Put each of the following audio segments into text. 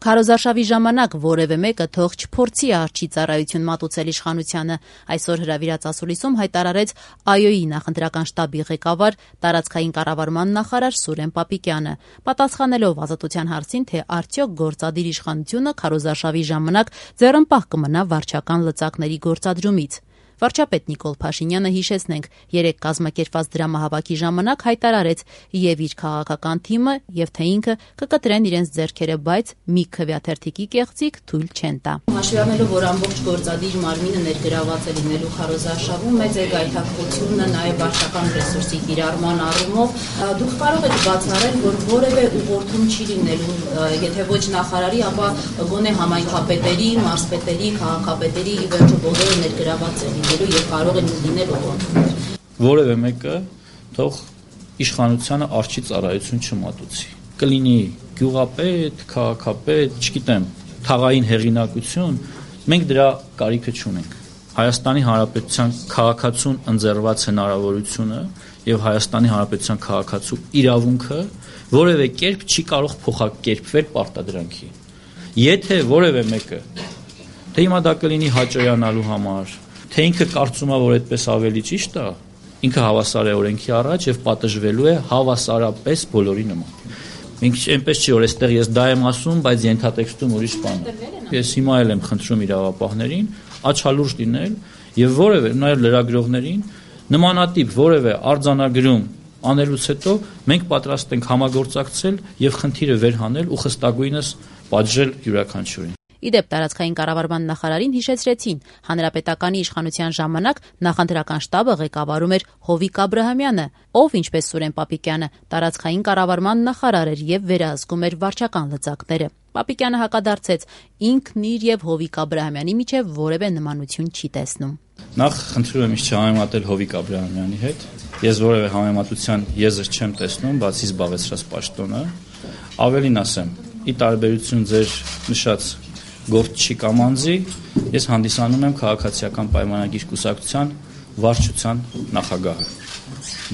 Քարոզարշավի ժամանակ որևէ մեկը թող չփորձի արջի ծառայություն մատուցել իշխանությանը, այսօր հրավիրած ասուլիսում հայտարարեց ԱՅՈ-ի նախընտրական շտաբի ղեկավար, տարածքային կառավարման նախարար Սուրեն Պապիկյանը, պատասխանելով Ազատության հարցին, թե արդյոք գործադիր իշխանությունը քարոզարշավի ժամանակ ձեռնպահ կմնա վարչական լծակների գործադրումից։ Վարչապետ Նիկոլ Փաշինյանը, հիշեցնենք, երեկ կազմակերպված դրամահավաքի ժամանակ հայտարարեց եւ իր քաղաքական թիմը եւ թե ինքը կկտրեն իրենց ձեռքերը, բայց մի քվեաթերթիկի կեղծիք թույլ չեն տա։ Հաշվի առնելով, որ ամբողջ գործադիր մարմինը ներգրաված է լինելու քարոզարշավում, մեծ է գայթակղությունը նաեւ վարչական ռեսուրսի կիրառման առումով, դուք կարող եք բացառել, որ որևէ ուղղորդում չի լինելու, եթե ոչ նախարարի, ապա գոնե համայնքապետերի, մարզպետերի, քաղաքապետերի ի վերջո բոլորը ներգրաված են եւ կարող են լինել ուղղորդումներ։ Որևէ մեկը թող իշխանությանը արջի ծառայություն չմատուցի։ Կլինի գյուղապետ, քաղաքապետ, չգիտեմ, թաղային հեղինակություն, մենք դրա կարիքը չունենք։ Հայաստանի Հանրապետության քաղաքացուն ընձեռված հնարավորությունը եւ Հայաստանի Հանրապետության քաղաքացու իրավունքը որևէ կերպ չի կարող փոխակերպվել պարտադրանքի։ Եթե որևէ մեկը, թե հիմա դա կլինի հաճոյանալու համար, թե ինքը կարծում է, որ այդպես ավելի ճիշտ է, ինքը հավասար է օրենքի առաջ եւ պատժվելու է հավասարապես բոլորի նման։ Մենք այնպես չի, որ այստեղ ես դա եմ ասում, բայց ենթատեքստում ուրիշ բան է։ Ես հիմա էլ եմ խնդրում իրավապահներին աչալուրջ լինել եւ որևէ նաեւ լրագրողներին նմանատիպ որևէ արձանագրում անելուց հետո մենք պատրաստ ենք համագործակցել եւ խնդիրը վերհանել ու խստագույնս պատժել յուրաքանչյուրին։ Իդեպ տարածքային կառավարման նախարարին հիշեցրեցին, հանրապետականի իշխանության ժամանակ նախընտրական շտաբը ղեկավարում էր Հովիկ Աբրահամյանը, ով, ինչպես Սուրեն Պապիկյանը, տարածքային կառավարման նախարար էր եւ վերահսկում էր վարչական լծակները։ Պապիկյանը հակադարձեց, ինքն իր եւ Հովիկ Աբրահամյանի միջեւ որևէ նմանություն չի տեսնում։ Նախ խնդրում եմ ինձ չհամեմատել Հովիկ Աբրահամյանի հետ։ Ես որևէ համեմատության եզր չեմ տեսնում, բացի զբաղեցրած պաշտոնը։ Ավելին ասեմ, ի տարբերություն ձեր նշած գործչի կամ անձի, ես հանդիսանում եմ քաղաքացիական պայմանագիր կուսակցության վարչության նախագահը։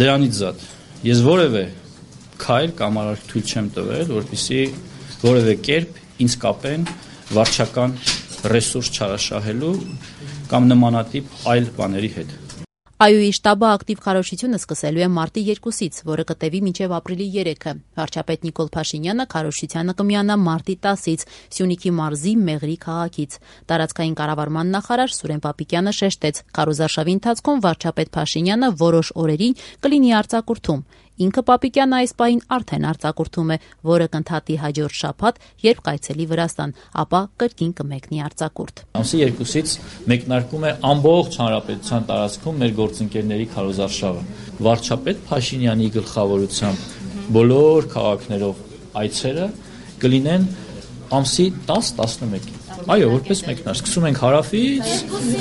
Դրանից զատ ես որևէ քայլ կամ արարք թույլ չեմ տվել, որպեսզի որևէ կերպ ինձ կապեն վարչական ռեսուրս չարաշահելու կամ նմանատիպ այլ բաների հետ։ ԱՅՈ-ի շտաբը ակտիվ քարոզությունը սկսելու է մարտի 2-ից, որը կտևի մինչև ապրիլի 3-ը։ Վարչապետ Նիկոլ Փաշինյանը քարոզությանը կմիանա մարտի 10-ից Սյունիքի մարզի Մեղրի քաղաքից։ Տարածքային կառավարման նախարար Սուրեն Պապիկյանը շեշտեց, քարոզարշավի ընթացքում վարչապետ Փաշինյանը որոշ օրերին կլինի արձակուրդում։ Ինքը Պապիկյանը այս պահին արդեն արձակուրդում է, որը կընդհատի հաջորդ շաբաթ, երբ կայցելի Վրաստան, ապա կրկին կմեկնի արձակուրդ։ Ամսի 2-ից մեկնարկում է ամբողջ հանրապետության տարածքում մեր գործընկերների քարոզարշավը։ Վարչապետ Փաշինյանի գլխավորությամբ բոլոր քաղաքներով այցերը կլինեն ամսի 10-11-ին։ Այո, որպես մեկնարկ սկսում ենք հարավից,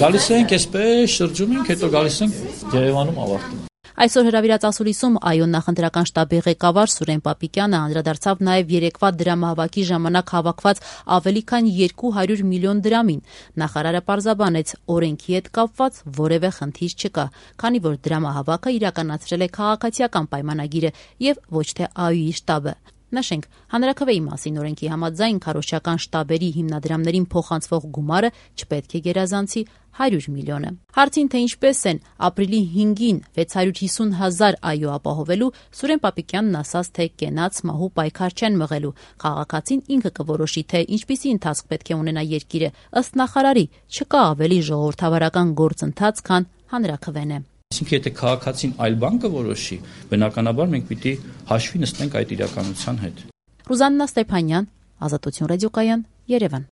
գալիս ենք այսպես, շրջում ենք, հետո գալիս ենք Երևանում ավարտում։ Այսօր հրավիրած ասուլիսում ԱՅՈ նախընտրական շտաբի ղեկավար Սուրեն Պապիկյանը անդրադարձավ նաև երեկվա դրամահավաքի ժամանակ հավաքված ավելի քան 200 միլիոն դրամին։ Նախարարը պարզաբանեց, օրենքի հետ կապված որևէ խնդիր չկա, քանի որ դրամահավաքը իրականացրել է քաղաքացիական պայմանագիրը եւ ոչ թե ԱՅՈ-ի շտաբը։ Նշենք, հանրաքվեի մասին օրենքի համաձայն քարոզչական շտաբերի հիմնադրամներին փոխանցվող գումարը չպետք է գերազանցի 100 միլիոնը։ Հարցին, թե ինչպես են ապրիլի 5-ին 650,000 ԱՅՈ ապահովելու, Սուրեն Պապիկյանն ասաց, թե կենաց մահու պայքար չեն մղելու։ Քաղաքացին ինքը կորոշի, թե ինչպիսի ընթացք պետք է ունենա երկիրը։ Ըստ նախարարի, չկա ավելի ժողովրդավարական գործընթաց, քան հանրաքվեն է։ Այսինքն, եթե քաղաքացին այլ բան կորոշի, բնականաբար մենք պիտի հաշվի նստենք այդ իրականության հետ։ Ռուզաննա Ստեփանյան, Ազատություն ռադիոկայան, Երևան։